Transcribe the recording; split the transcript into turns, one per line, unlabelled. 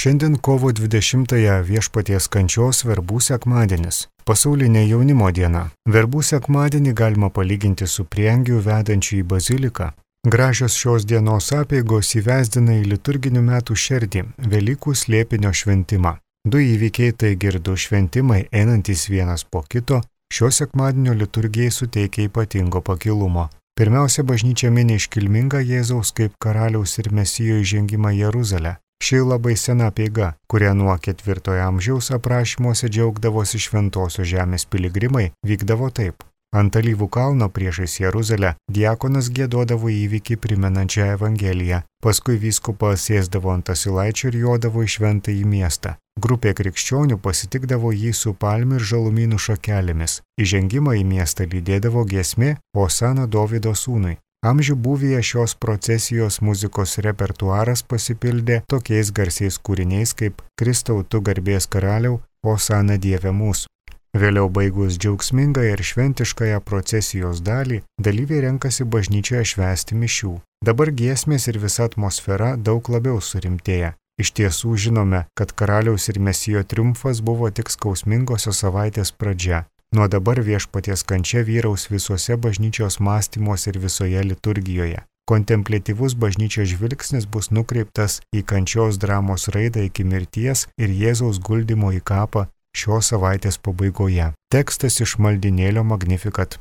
Šiandien kovo 20-ąją Viešpaties kančios verbų sekmadienis, pasaulinė jaunimo diena. Verbų sekmadienį galima palyginti su prieangiu vedančiu į baziliką. Gražios šios dienos apeigos įvesdina į liturginių metų šerdį Velykų slėpinio šventimą. Du įvykiai, taigi ir du šventimai, einantys vienas po kito, šio sekmadienio liturgijai suteikia ypatingo pakilumo. Pirmiausia, bažnyčia mini iškilmingą Jėzaus kaip karaliaus ir mesijo įžengimą į Jeruzalę. Ši labai sena apeiga, kurią nuo 4 amžiaus aprašymuose džiaugdavosi šventosios žemės piligrimai, vykdavo taip. Ant Alyvų kalno priešais Jeruzalę diakonas giedodavo įvykį primenančią Evangeliją, paskui vyskupas sėsdavo ant asilaičio ir jodavo į šventąjį miestą. Grupė krikščionių pasitikdavo jį su palmių ir žalumynų šakelėmis. Įžengimą į miestą lydėdavo giesmė Hosana Dovydo sūnui. Amžių būvyje šios procesijos muzikos repertuaras pasipildė tokiais garsiais kūriniais kaip Kristau tu garbės karaliau, Hosana Dieve mūsų. Vėliau baigus džiaugsmingą ir šventiškąją procesijos dalį, dalyviai renkasi bažnyčioje švęsti mišių. Dabar giesmės ir visa atmosfera daug labiau surimtėja. Iš tiesų žinome, kad karaliaus ir mesijo triumfas buvo tik skausmingosios savaitės pradžia. Nuo dabar Viešpaties kančia vyraus visuose bažnyčios mąstymuose ir visoje liturgijoje. Kontempliatyvus bažnyčios žvilgsnis bus nukreiptas į kančios dramos raidą iki mirties ir Jėzaus guldymo į kapą šios savaitės pabaigoje. Tekstas iš maldinėlio Magnificat.